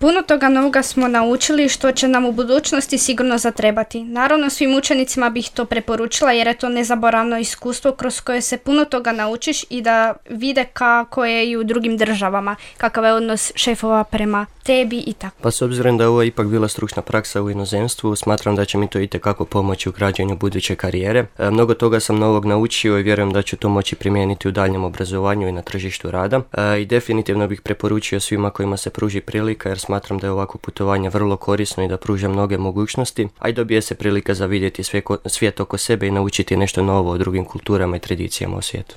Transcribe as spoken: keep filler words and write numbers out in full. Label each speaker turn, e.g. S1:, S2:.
S1: Puno toga novoga smo naučili što će nam u budućnosti sigurno zatrebati. Naravno, svim učenicima bih to preporučila jer je to nezaboravno iskustvo kroz koje se puno toga naučiš i da vide kako je i u drugim državama, kakav je odnos šefova prema tebi i tako.
S2: Pa s obzirom da je ovo ipak bila stručna praksa u inozemstvu, smatram da će mi to itekako pomoći u građenju buduće karijere. E, mnogo toga sam novog naučio i vjerujem da ću to moći primijeniti u daljnjem obrazovanju i na tržištu rada. E, I definitivno bih preporučio svima kojima se pruži prilika jer smatram da je ovako putovanje vrlo korisno i da pruža mnoge mogućnosti, a i dobije se prilika za vidjeti svijet oko sebe i naučiti nešto novo o drugim kulturama i tradicijama u svijetu.